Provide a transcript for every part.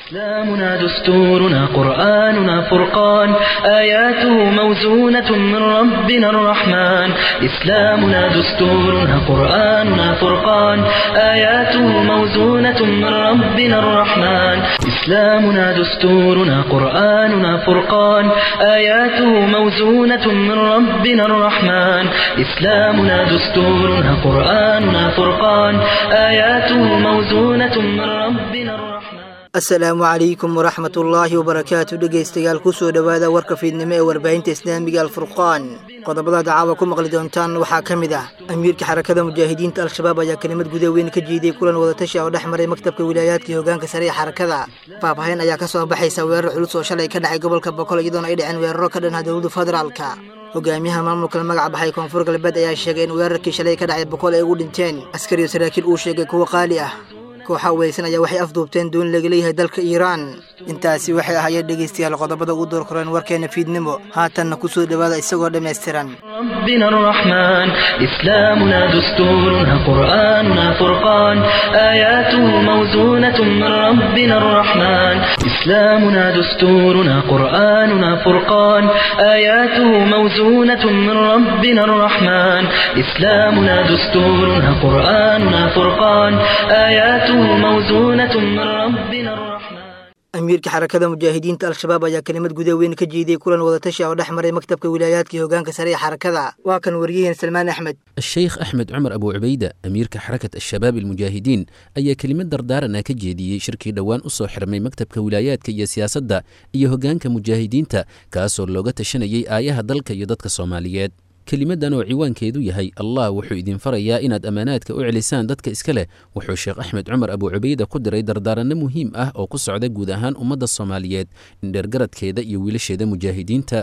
إسلامنا دستورنا قرآننا فرقان آياته موزونة من ربنا الرحمن إسلامنا دستورنا قرآننا فرقان آياته موزونة من ربنا الرحمن إسلامنا دستورنا قرآننا فرقان آياته موزونة من ربنا الرحمن إسلامنا دستورنا قرآننا فرقان آياته موزونة من ربنا الرحمن. Asalaamu calaykum waraxmatullaahi wabarakaatu. Dhegaystayaal, kusoo dhowaada warka fiidnimo ee warbaahinta Islaamiga Alfurqaan. Qodobada dacaawa ku maqli doontaan waxaa ka mid ah: amiirka Xarakada Mujaahidiinta Al-Shabaab ayaa kelimad guda weyn ka jeediyey kulan wadatashi oo dhex maray maktabka wilaayaadka iyo hogaanka sare ee xarakada. Faahfaahin ayaa ka soo baxaysa weerar culus oo shalay ka dhacay gobolka Boqol, iyadoona ay dhaceen weeraro ka dhanha dowladda federaalka. Hogaamiyaha maamulka la magac baxay Koonfur Galbeed ayaa sheegay in weerarkii shalay ka dhacay Boqol ay ugu dhinteen askari iyo saraakiil uu sheegay kuwo qaali ah. Kooxa weysan ayaa waxay afduubteen doon laga leeyahay dalka Iiraan. Intaasi waxay ahaayeen, dhegaystayaal, qodobada ugu door koreen warkeena fiidnimo. Haatanna kusoo dhowaada isagoo dhammaystiran. ربنا الرحمن إسلامنا دستورنا قرآننا فرقان آياته موزونة من ربنا الرحمن إسلامنا دستورنا قرآننا فرقان آياته موزونة من ربنا الرحمن إسلامنا دستورنا قرآننا فرقان آياته موزونة من ربنا الرحمن. Amiirka Xarakada Mujaahidiinta Al-Shabaab ayaa kelimad guda weyn ka jeediyey kulan wadatashi oo dhex maray maktabka wilaayaadka iyo hogaanka sare ee xarakada. Waa kan wariyaheen Salmaan Axmed. الشيخ أحمد عمر أبو عبيدة, أميرka حركة الشباب المجاهدين, ayaa kelimad dardaarana ka jeediyey shirkii dhowaan u soo xirmay maktabka wilaayaadka iyo siyaasadda iyo hoggaanka mujaahidiinta, kaasoo looga tashanayay aayaha dalka iyo dadka Soomaaliyeed. Kelimadan oo ciwaankeedu yahay "Allah wuxuu idin farayaa inaad ammaanaadka u celisaan dadka iska leh", wuxuu Sheekh Axmed Cumar Abu Cubayda ku diray dardaaranno muhiim ah oo ku socda guud ahaan ummadda Soomaaliyeed, indheergaradkeeda iyo wiilasheeda mujaahidiinta.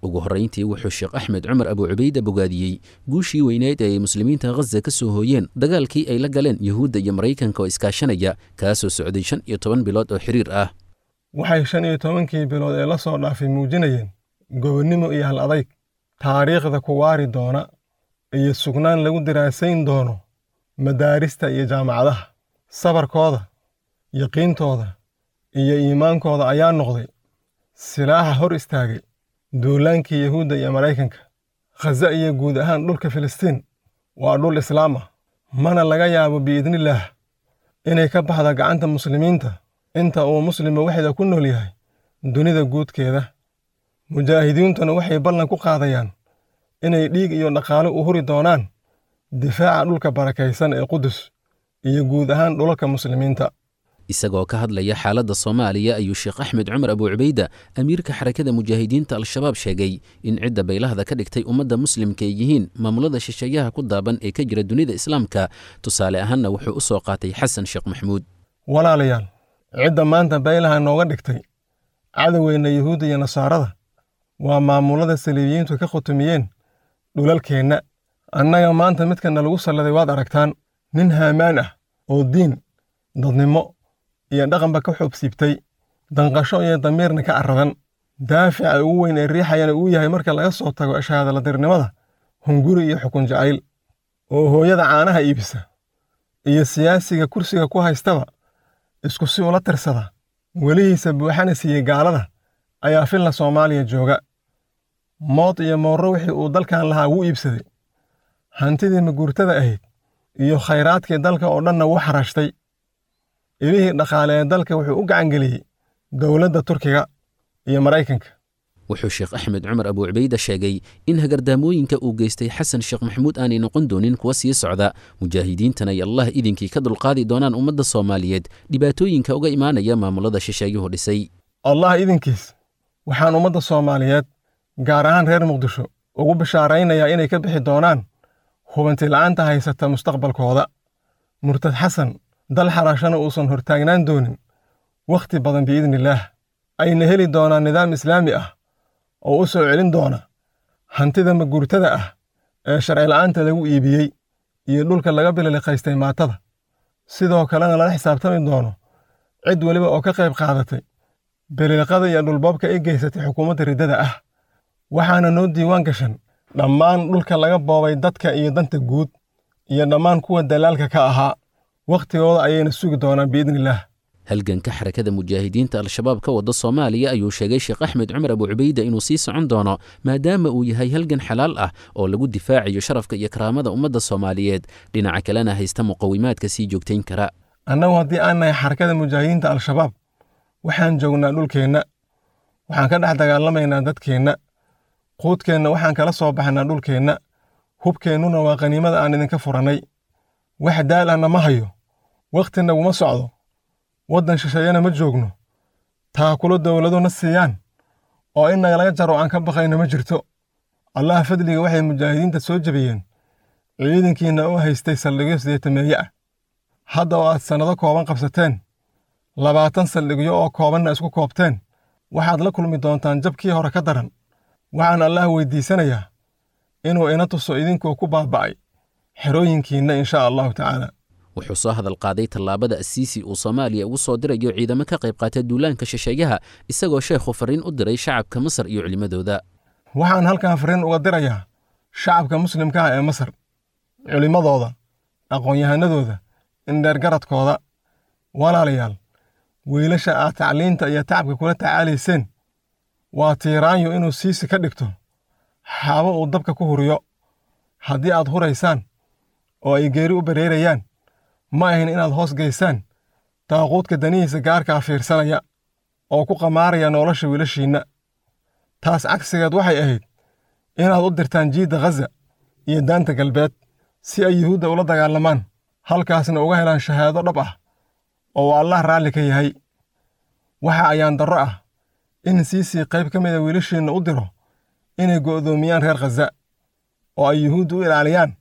Ugu horrayntii, wuxuu Sheekh Axmed Cumar Abu Cubayda bogaadiyey guushii weyneyd ee ay muslimiinta Ghaza ka soo hooyeen dagaalkii ay la galeen Yuhuudda iyo Maraykanka oo iskaashanaya, kaasoo socday 15 bilood oo xiriir ah. Waxay 15-kii bilood ee la soo dhaafay muujinayeen gobonnimo iyo hal adayg taariikhda ku waari doona iyo sugnaan lagu diraasayn doono madaarista iyo jaamacadaha. Sabarkooda, yaqiintooda iyo iimaankooda ayaa noqday silaaxa hor istaagay duulaankii Yahuudda iyo Maraykanka. Khaza iyo guud ahaan dhulka Filistiin waa dhul islaam ah, mana laga yaabo, biidnillaah, inay ka baxda gacanta muslimiinta inta uu muslima waxda ku nool yahay dunida guudkeeda. Mujaahidiintuna waxay ballan ku qaadayaan inay dhiig iyo dhaqaale u huri doonaan difaaca dhulka barakaysan ee Qudus iyo guud ahaan dhulalka muslimiinta. Isagoo ka hadlaya xaaladda Soomaaliya ayuu Sheekh Axmed Cumar Abu Cubayda, amiirka Xarakada Mujaahidiinta Al-Shabaab, sheegay in cidda baylahda ka dhigtay ummadda muslimka ay yihiin maamulada shisheeyaha ku daaban ee ka jira dunida islaamka. Tusaale ahaanna wuxuu u soo qaatay Xasan Sheekh Maxmuud. Walaalayaal, cidda maanta baylaha nooga dhigtay cadowgeenna Yuhuudda iyo Nasaarada waa maamulada saliibiyiintu ka khutumiyeen dhulalkeenna. Annaga maanta midkana lagu salladay waad aragtaan: nin haamaan ah oo diin, dadnimo iyo dhaqanba ka xoobsiibtay, danqasho iyo damiirna ka arradan, daafica ugu weyn ee riixayana uu yahay, marka laga soo tago ashahaadaladirnimada, hunguri iyo xukun jacayl, oo hooyada caanaha iibisa iyo siyaasiga kursiga ku haystaba isku si ula tirsada, welihiisa buuxana siiyey gaalada, ayaa filla Soomaaliya jooga. Mood iyo moorro wixii uu dalkan lahaa wuu iibsaday, hantidii maguurtada ahayd iyo khayraadkii dalka oo dhanna wuu xarashtay. Ilihii dhaqaale ee dalka wuxuu u gacangeliyey dowladda Turkiga iyo Maraykanka. Wuxuu Sheekh Axmed Cumar Abu Cubayda sheegay in hagardaamooyinka uu geystay Xasan Sheekh Maxamuud aanay noqon doonin kuwa sii socda, mujaahidiintana ay Allah idinkii ka dulqaadi doonaan ummadda Soomaaliyeed dhibaatooyinka uga imaanaya maamulada shisheeyuhu dhisay. Allah idinkiis, waxaan ummadda Soomaaliyeed, gaar ahaan reer Muqdisho, ugu bishaaraynayaa inay ka bixi doonaan hubanti la'aanta haysata mustaqbalkooda, murtad Xasan dal xaraashana uusan hortaagnaan doonin wakhti badan, biidnillaah, ayna heli doonaan nidaam islaami ah oo u soo celin doona hantida maguurtada ah ee sharci la'aanta lagu iibiyey iyo dhulka laga bililiqaystay maatada, sidoo kalena lala xisaabtami doono cid weliba oo ka qayb qaadatay bililiqada iyo dhulboobka ay geysatay xukuumadda riddada ah. Waxaana noo diiwaan gashan dhammaan dhulka laga boobay dadka iyo danta guud iyo dhammaan kuwa dalaalka ka ahaa. Wakhtigooda ayayna sugi doonaan, biidnillaah. Halganka xarakada mujaahidiinta Al-Shabaab ka wada Soomaaliya ayuu sheegay Sheekh Axmed Cumar Abu Cubayda inuu sii socon doono, maadaama uu yahay halgan xalaal ah oo lagu difaacayo sharafka iyo karaamada ummadda Soomaaliyeed, dhinaca kalena haysta muqawimaadka sii joogtayn kara. Annagu haddii aan nahay xarakada mujaahidiinta Al-Shabaab, waxaan joognaa dhulkeenna, waxaan ka dhex dagaalamaynaa dadkeenna, quudkeenna waxaan kala soo baxnaa dhulkeenna, hubkeennuna waa qaniimada aan idinka furannay. Wax daal ahna ma hayo, wakhti naguma socdo, waddan shisheeyana ma joogno, taakulo dowlado na siiyaan oo in nagalaga jaro aan ka baqayno ma jirto. Allaha fadliga waxay mujaahidiinta soo jebiyeen ciidankiinna oo haystay saldhigyo 80meeye ah. Hadda oo aad sannado kooban qabsateen, 20 saldhigyo oo koobanna isku koobteen, waxaad la kulmi doontaan jabkii hore ka daran. Waxaan Allaah weydiisanayaa inuu ina tuso idinkoo ku baaba'ay xerooyinkiinna insha Allahu tacaala. Wuxuu soo hadal qaaday tallaabada Asiisi uu Soomaaliya ugu soo dirayo ciidamo ka qayb qaata duulaanka shisheeyaha, isagoo sheekhu farriin u diray shacabka Masar iyo culimmadooda. Waxaan halkan farriin uga dirayaa shacabka muslimka ah ee Masar, culimmadooda, aqoon-yahanadooda, indheergaradkooda. Walaalayaal, wiilasha aad tacliinta iyo tacabka kula tacaalayseen waa tiiraanyo inuu Siisi ka dhigto xaabo uu dabka ku huriyo. Haddii aad huraysaan oo ay geeri u bareerayaan, ma ahin inaad hoos geysaan daaquudka danihiisa gaarkaa fiirsanaya oo ku qamaaraya nolosha wiilashiinna. Taas cagsigeed waxay ahayd inaad u dirtaan jiidda Ghaza iyo daanta galbeed si ay Yuhuudda ula dagaalamaan, halkaasna uga helaan shahaado dhab ah oo uu Allah raalli ka yahay. Waxa ayaan darro ah in Siisi qayb ka mida wiilashiinna u diro inay go'doomiyaan reer Ghaza oo ay Yuhuudda u ilaaliyaan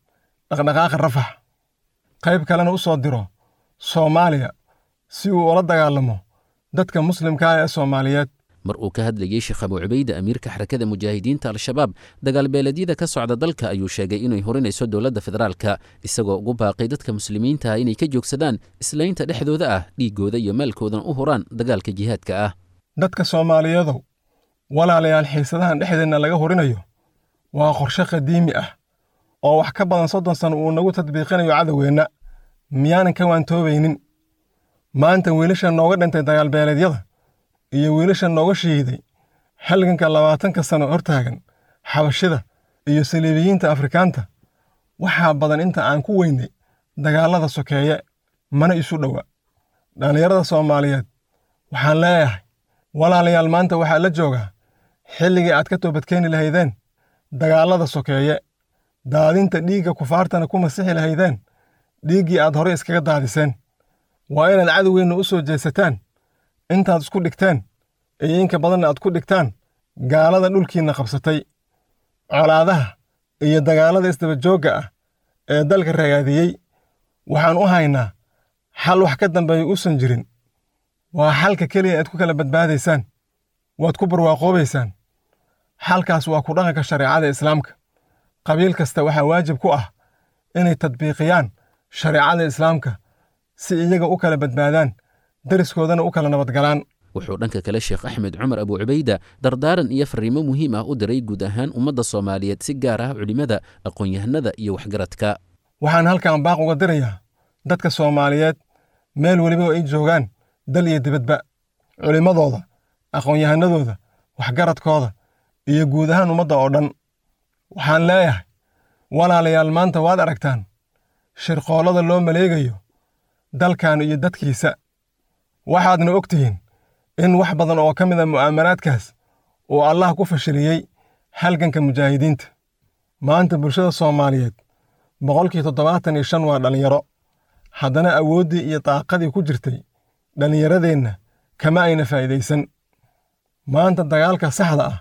dhaqdhaqaaqa Rafax, qayb kalena u soo diro Soomaaliya si uu ula dagaalamo dadka muslimka ah ee Soomaaliyeed. Mar uu ka hadlayey Sheekh Abu Cubayda, amiirka xarakada mujaahidiinta Al-Shabaab, dagaalbeeleedyada ka socda dalka ayuu sheegay inay horinayso dowladda federaalka, isagoo ugu baaqay dadka muslimiinta ah inay ka joogsadaan islaynta dhexdooda ah, dhiiggooda iyo maalkoodana u huraan dagaalka jihaadka ah. Dadka Soomaaliyeedow, walaalayaal, xiisadahan dhexdeenna laga horinayo waa qorshe qadiimi ah oo wax ka badan 30 sano uu nagu tadbiiqinayo cadowgeenna. Miyaanan ka waantoobaynin? Maanta wiilasha nooga dhintay dagaalbeeleedyada iyo wiilasha nooga shahiiday halganka 20ka sano hortaagan xabashida iyo saliibiyiinta Afrikaanta, waxaa badan inta aan ku weynay dagaallada sokeeye, mana isu dhowa. Dhallinyarada Soomaaliyeed waxaan leeyahay, walaalayaal, maanta waxaa la joogaa xilligii aad ka toobadkeeni lahaydeen dagaallada sokeeye, daadinta dhiigga kufaartana ku masixi lahaydeen dhiiggii aad horey iskaga daadiseen. Waa inaad cadowgeenna u soo jeesataan intaad isku dhigteen iyo inka badanna aad ku dhigtaan gaalada dhulkiinna qabsatay. Colaadaha iyo dagaallada isdaba joogga ah ee dalka ragaadiyey waxaan u haynaa xal wax ka dambeeya uusan jirin. Waa xalka keliya aad ku kala badbaadaysaan, waad ku barwaaqoobaysaan. Xalkaas waa ku dhaqanka shareecada islaamka. Qabiil kasta waxaa waajib ku ah inay tadbiiqiyaan shareecada islaamka si iyaga u kala badbaadaan, dariskoodana u kala nabadgalaan. Wuxuu dhanka kale Sheekh Axmed Cumar Abu Cubayda dardaaran iyo farriimo muhiim ah u diray guud ahaan ummadda Soomaaliyeed, si gaar ah culimmada, aqoon-yahanada iyo waxgaradka. Waxaan halkan baaq uga dirayaa dadka Soomaaliyeed meel weliba oo ay joogaan, dal iyo dibadba, culimmadooda, aqoon-yahanadooda, waxgaradkooda iyo guud ahaan ummadda oo dhan. Waxaan leeyahay, walaalayaal, maanta waad aragtaan shirqoollada loo maleegayo dalkan iyo dadkiisa. Waxaadna og tihiin in wax badan oo ka mid a mu'aamaraadkaas uu Allah ku fashiliyey halganka mujaahidiinta. Maanta bulshada Soomaaliyeed 75% waa dhallinyaro. Haddana awooddii iyo daaqadii ku jirtay dhallinyaradeenna kama ayna faa'iidaysan. Maanta dagaalka saxda ah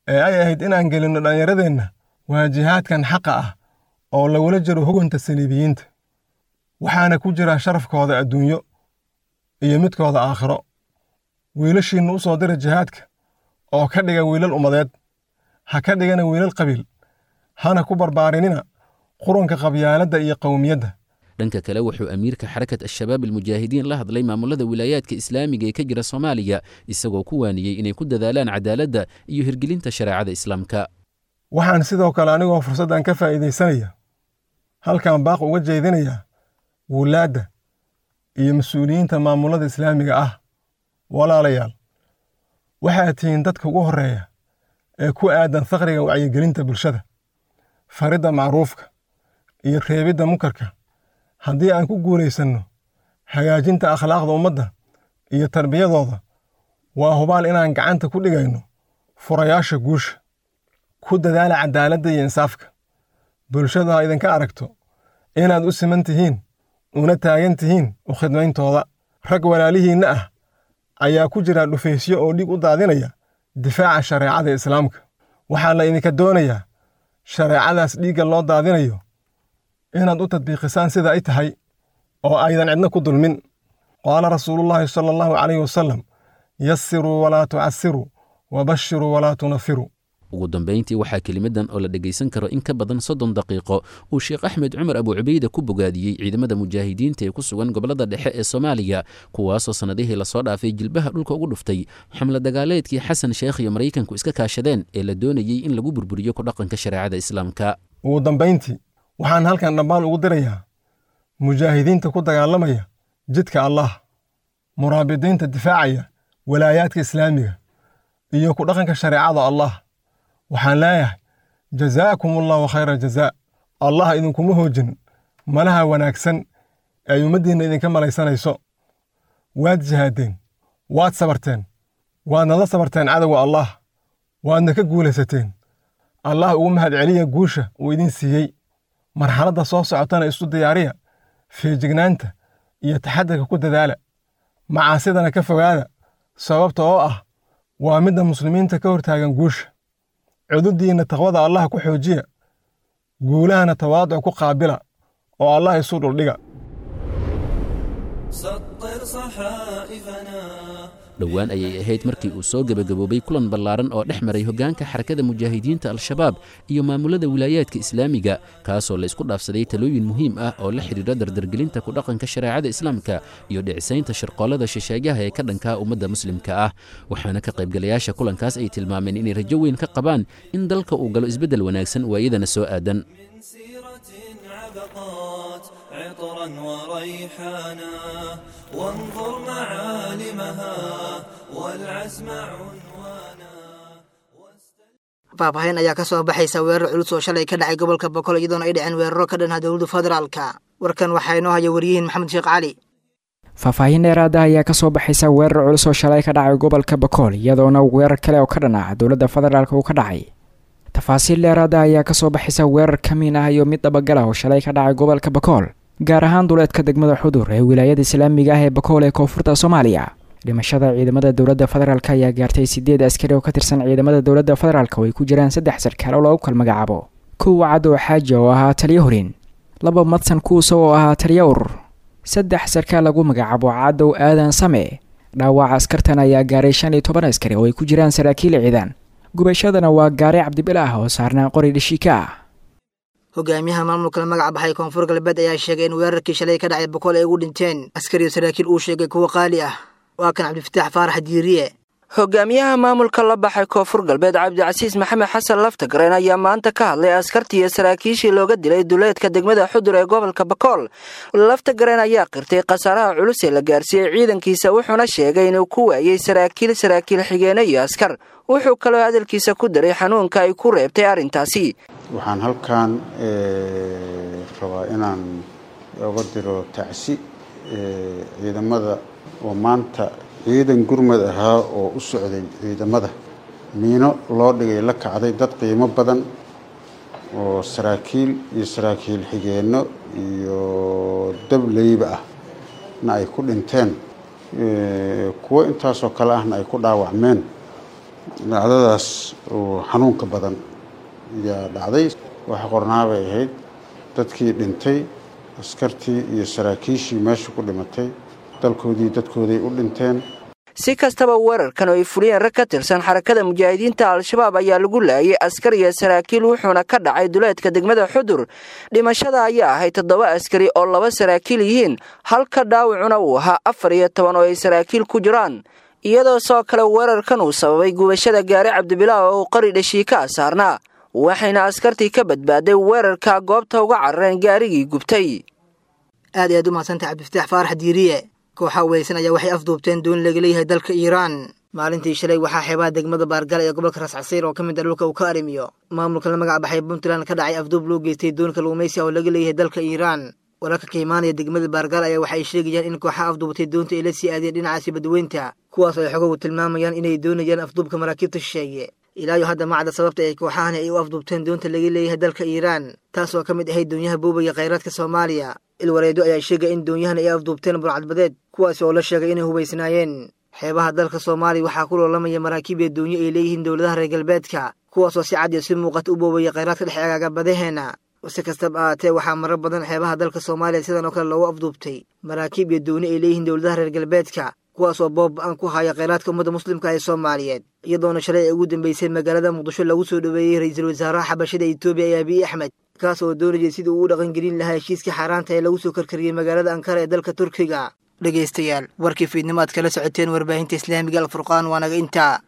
ee ay ahayd inaan gelinno dhallinyaradeenna waa jihaadkan xaqa ah oo lagula jiro hugunta saliibiyiinta, waxaana ku jira sharafkooda adduunyo iyo midkooda aakhiro. Wiilashiinna u soo dira jihaadka oo ka dhiga wiilal ummadeed, ha ka dhigana wiilal qabiil, hana ku barbaarinina qurunka qabyaaladda iyo qowmiyadda. Dhanka kale wuxuu amiirka xarakat Al-Shabaab Almujaahidiin la hadlay maamulada wilaayaadka islaamiga ee ka jira Soomaaliya, isagoo ku waaniyey inay ku dadaalaan cadaaladda iyo hirgelinta shareecada islaamka. Waxaan sidoo kale anigoo fursaddan ka faa'iidaysanaya halkan baaq uga jeedinayaa wulaadda, iyo mas-uuliyiinta maamulada islaamiga ah. Walaalayaal, waxaad tihiin dadka ugu horreeya ee ku aadan faqriga wacyigelinta bulshada, faridda macruufka iyo reebidda munkarka. Haddii aan ku guulaysanno hagaajinta akhlaaqda ummadda iyo tarbiyadooda, waa hubaal inaan gacanta ku dhigayno furayaasha guusha. Ku dadaala cadaaladda iyo insaafka. Bulshadu ha idinka aragto inaad u siman tihiin una taagan tihiin u khidmayntooda. Rag walaalihiinna ah ayaa ku jira dhufaysyo oo dhiig u daadinaya difaaca shareecada islaamka. Waxaa la idinka doonayaa shareecadaas dhiigga loo daadinayo inaad u tadbiiqisaan sida ay tahay oo aydan cidna ku dulmin. Qaala rasuulullaahi sala allahu calayhi wasalam: yasiruu walaa tucasiruu, wabashiruu walaa tunafiruu. Ugu dambayntii, waxaa kelimadan oo la dhegaysan karo in ka badan 30 daqiiqo uu Sheekh Axmed Cumar Abu Cubayda ku bogaadiyey ciidamada mujaahidiinta ee ku sugan gobollada dhexe ee Soomaaliya, kuwaasoo sannadihii lasoo dhaafay jilbaha dhulka ugu dhuftay xamla dagaaleedkii Xasan Sheekh iyo Maraykanku iska kaashadeen ee la doonayey in lagu burburiyo ku dhaqanka shareecada islaamka. Ugu dambayntii, waxaan halkan dhammaan ugu dirayaa mujaahidiinta ku dagaalamaya jidka Allah, muraabidiinta difaacaya walaayaadka islaamiga iyo ku dhaqanka shareecada Allah. Waxaan leeyahay: jazaakum allahu khayra jazaa. Allah idinkuma hoojin malaha wanaagsan ee ay ummaddiinna idinka malaysanayso. Waad jihaadeen, waad sabarteen, waadna la sabarteen cadowga Allah, waadna ka guulaysateen. Allah ugu mahadceliya guusha uu idin siiyey. Marxaladda soo socotana isu diyaariya, feejignaanta iyo taxadarka ku dadaala, macaasidana ka fogaada, sababta oo ah waa midda muslimiinta ka hortaagan guusha. Cududdiinna taqwada Allah ku xoojiya, guulahana tawaaduc ku qaabila oo Allah isu dhuldhiga. Dhowaan ayay ahayd markii uu soo gebagaboobay kulan ballaaran oo dhex maray hoggaanka xarakada mujaahidiinta Al-Shabaab iyo maamulada wilaayaadka islaamiga, kaasoo la isku dhaafsaday talooyin muhiim ah oo la xidhiidha dardargelinta ku dhaqanka shareecada islaamka iyo dhicisaynta shirqoolada shisheeyaha ee ka dhankaa ummadda muslimka ah. Waxaana ka qaybgalayaasha kulankaas ay tilmaameen inay rajo weyn ka qabaan in dalka uu galo isbeddel wanaagsan waayadana soo aadan. عطرا وريحانا، وانظر معالمها والعزم عنوانا. Faahfaahin ayaa ka soo baxaysa weerar culus oo shalay ka dhacay gobolka Boqol, iyadoona ay dhaceen weeraro ka dhanha dowladda federaalka. Warkan waxaa inoo haya wariyihiin Maxamed Sheekh Cali. Faahfaahin dheeraada ayaa kasoo baxaysa weerar culus oo shalay ka dhacay gobolka Bakool, iyadoona weerar kale oo ka dhan ah dowladda federaalka uu ka dhacay. Tafaasiil dheeraada ayaa kasoo baxaysa weerar kamiin ah iyo mid dhabagal ah oo shalay ka dhacay gobolka Bakool, gaar ahaan duleedka degmada Xudur ee wilaayada islaamiga ah ee Bakool ee koonfurta Soomaaliya. Dhimashada ciidamada dowladda federaalk ayaa gaartay 8 askari oo ka tirsan ciidamada dowladda federaalk, oo ay ku jiraan 3 sarkaal oo lagu kala magacaabo: 1 Cadow Xaaji oo ahaa taliyo horin, 2 Madsan Kuuso oo ahaa taliyo urur, 3 sarkaal lagu magacaabo Cadow Aadan Same. Dhaawaca askartan ayaa gaaray 15 askari oo ay ku jiraan saraakiil ciidan. Gubashadana waa gaari Cabdibil ah oo saarnaa qori dhashiika ah. Hogaamiyaha maamulka la magac baxay Koonfur Galbeed ayaa sheegay in weerarkii shalay ka dhacay Boqol ay ugu dhinteen askari iyo saraakiil uu sheegay kuwa qaali ah. Waa kan Cabdifataax Faarax Diiriye. Hogaamiyaha maamulka la baxay Koonfur Galbeed, Cabdicasiis Maxamed Xasan Laftagareen, ayaa maanta ka hadlay askartii iyo saraakiishii looga dilay duleedka degmada Xudur ee gobolka Bakool. Laftagareen ayaa qirtay khasaaraha culus ee la gaarsiiyey ciidankiisa, wuxuuna sheegay inuu ku waayey saraakiil, saraakiil xigeene iyo askar. Wuxuu kaloo hadalkiisa ku daray xanuunka ay ku reebtay arrintaasi. Waxaan halkan rabaa inaan oga diro tacsi ciidamada oo maanta ciidan gurmad ahaa oo u socday ciidamada miino loo dhigay la kacday, dad qiimo badan oo saraakiil iyo saraakiil xigeenno iyo dableyba ah na ay ku dhinteen, kuwo intaasoo kale ahna ay ku dhaawacmeen. Dhacdadaas oo xanuunka badan ayaa dhacday. Waxa qornaa bay ahayd dadkii dhintay, askartii iyo saraakiishii meesha ku dhimatay, dalkoodii dadkooday u dhinteen. Si kastaba, weerarkan oo ay fuliyeen rag ka tirsan xarakada mujaahidiinta Al-Shabaab ayaa lagu laayay askar iyo saraakiil, wuxuuna ka dhacay duleedka degmada Xudur. Dhimashada ayaa ahayd 7 askari oo 2 saraakiil yihiin, halka dhaawacuna uu ahaa 14 oo ay saraakiil ku jiraan, iyadoo sidoo kale weerarkan uu sababay gubashada gaari Cabdibilaah oo uu qori dhashiika saarnaa, waxayna askartii ka badbaaday weerarka goobta uga carareen gaarigii gubtay. Aad ayaad u mahadsantahay, Cabdifataax Faarax Diiriye. Kooxa weysan ayaa waxay afduubteen doon laga leeyahay dalka Iiraan. Maalintii shalay waxaa xeebaha degmada Baargal ee gobolka Rascasiir, oo ka mid ah dhulka uu ka arrimiyo maamulka la magac baxay Puntland, ka dhacay afduub loo geystay doon kalluumaysi oo laga leeyahay dalka Iiraan. Wararka ka imaanaya degmada Baargaal ayaa waxay sheegayaan in kooxaha afduubatay doonta ay la sii aadeen dhinacaasi badweynta, kuwaas ay xogogu tilmaamayaan inay doonayaan afduubka maraakiibta shisheeye. Ilaayo hadda macda sababta ay kooxahani ay u afduubteen doonta laga leeyahay dalka Iiraan, taas oo ka mid ahayd doonyaha boobaya khayraadka Soomaaliya. Ilwareedo ayaa sheegay in doonyahan ay afduubteen burcadbadeed, kuwaas oo la sheegay inay hubaysnaayeen. Xeebaha dalka Soomaaliya waxaa ku loolamaya maraakiib iyo doonyo ay leeyihiin dowladaha reer galbeedka, kuwaasoo si cad iyo si muuqata u boobaya khayraadka dhex eegaaga badaheena. Si kastaba ahaatee, waxaa marar badan xeebaha dalka Soomaaliya sidan oo kale loogu afduubtay maraakiib iyo dooni ay leeyihiin dowladaha reer galbeedka, kuwaas oo boob ba-an ku haya kheyraadka ummadda muslimka ee Soomaaliyeed, iyadoona shalay ay ugu dambeysay magaalada Muqdisho lagu soo dhoweeyey ra-iisul wasaaraha xabashada Etoobiya ee Abiy Axmed, kaas oo doonayay sidii uu u dhaqangelin lahaa heshiiska xaaraanta ee lagu soo karkariyey magaalada Ankara ee dalka Turkiga. Dhegaystayaal, warkii fiidnimo aad kala socoteen warbaahinta islaamiga Alfurqaan waa naga intaa.